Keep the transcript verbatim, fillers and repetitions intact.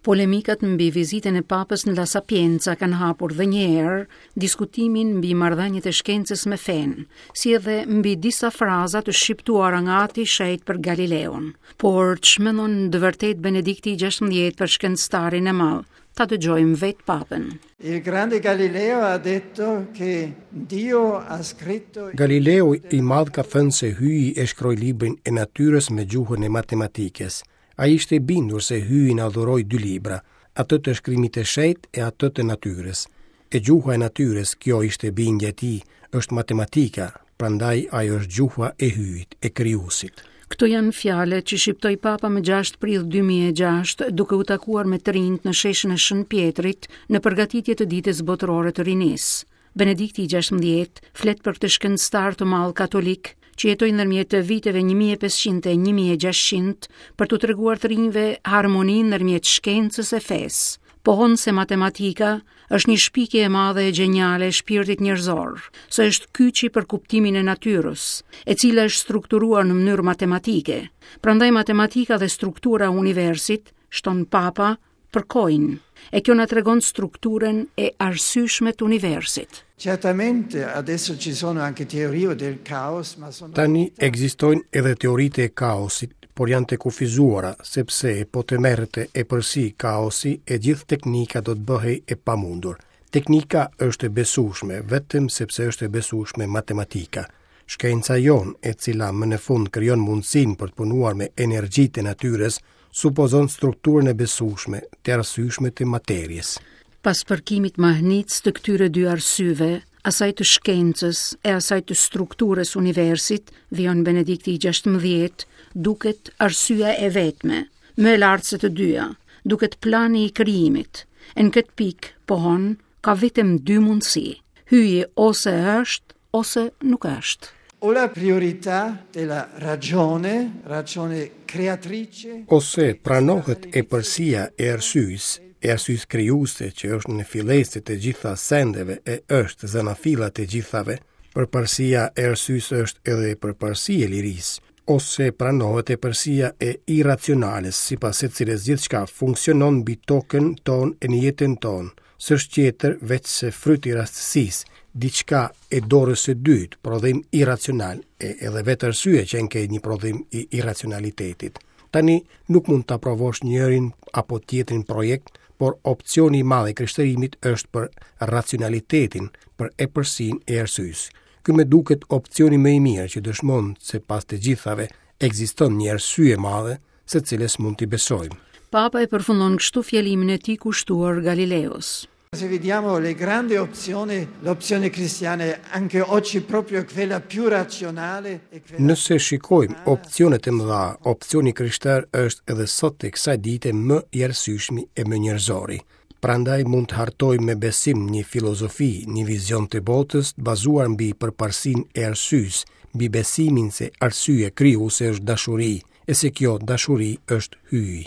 Polemikat mbi vizitën e Papës në La Sapienza kanë hapur dhe një herë diskutimin mbi marrëdhëniet e shkencës me fenë, si edhe mbi disa fraza të shqiptuara nga Ati i Shenjtë për Galileun. Por ç'mendon të vërtet Benedikti i gjashtëmbëdhjetë për shkencëtarin e madh? Ta dëgjojmë vetë Papën. Il grande Galileo ha detto che Dio ha scritto Galileo i madh ka thënë se Hyji e shkroi librin e natyrës me gjuhën e matematikës. Ai ishte i bindur se Hyji na dhuroi dy libra, atë të shkrimit të shenjtë e atë të natyrës. E gjuha e natyrës, kjo ishte bindja e tij, është matematika, prandaj ajo është gjuha e Hyjit, e krijuesit. Këto janë fjalët që shqiptoi Papa më gjashtë prill dy mijë e gjashtë, duke u takuar me të rinjt në sheshin e Shën Pjetrit në përgatitje të ditës botërore të rinisë. Benedikti i gjashtëmbëdhjetë flet për këtë shkencëtar të madh katolik që jetoi ndërmjet viteve një mijë e pesëqind e një mijë e gjashtëqind për t'u treguar të rinjve harmoninë ndërmjet shkencës e fesë. Pohon se matematika është një shpikje e madhe e gjeniale e shpirtit njerëzor, se është kyçi për kuptimin e natyrës, e cila është strukturuar në mënyrë matematike. Prandaj matematika dhe struktura e universit, shton Papa, përkojnë, e kjo na tregon strukturën e arsyeshme të universit. Certamente adesso ci sono anche teorie del caos, ma sono Tani ekzistojnë edhe teoritë e kaosit, por janë të kufizuara, sepse po të merrte epërsi kaosi, e gjithë teknika do të bëhej e pamundur. Teknika është e besueshme vetëm sepse është e besueshme matematika. Shkenca jonë, e cila më në fund krijon mundësinë për të punuar me energjitë e natyrës, supozon strukturën e besueshme, të arsyeshme të materies. Pas përkimit mahnitës të këtyre dy arsyeve, asaj të shkencës e asaj të strukturës universit, vijon Benedikti i gjashtëmbëdhjetë, duket arsyeja e vetme, më e lartë se të dyja, duket plani i krijimit. E në këtë pikë, pohon, ka vetëm dy mundësi. Hyji ose është, ose nuk është. O la priorità della ragione, ragione creatrice, ose pranohet epërsia e arsyes, e arsyes krijuese që është në fillesë të gjitha sendeve e është zanafillat e gjithave, përparësia e arsyes është edhe përparësi e lirisë, ose pranohet epërsia e irracionales, sipas së cilës gjithçka funksionon mbi tokën tonë e në jetën tonë, s'është tjetër veç se fryt i rastësisë, diçka e dorës së dytë, prodhim irracional, e edhe vetë arsye që enke një prodhim i irracionalitetit. Tani nuk mund ta provosh njërin apo tjetrin projekt, por opsioni i madh i krishterimit është për racionalitetin, për epërsinë e arsyes. Ky më duket opsioni më i mirë që dëshmon se pas të gjithave ekziston një arsye e madhe, së cilës mund t'i besojmë. Papa e përfundon kështu fjalimin e tij kushtuar Galileos. Se vediamo le grandi opzioni, l'opzione cristiana è anche oggi proprio quella più razionale e quella Nëse shikojmë opsionet e mëdha, opsioni krishter është edhe sot e kësaj dite më i arsyeshmi e më njerëzori. Prandaj mund të hartojmë me besim një filozofi, një vizion të botës të bazuar mbi përparësinë e arsyes, mbi besimin se arsye krijuese është dashuri, e se kjo dashuri është hyji.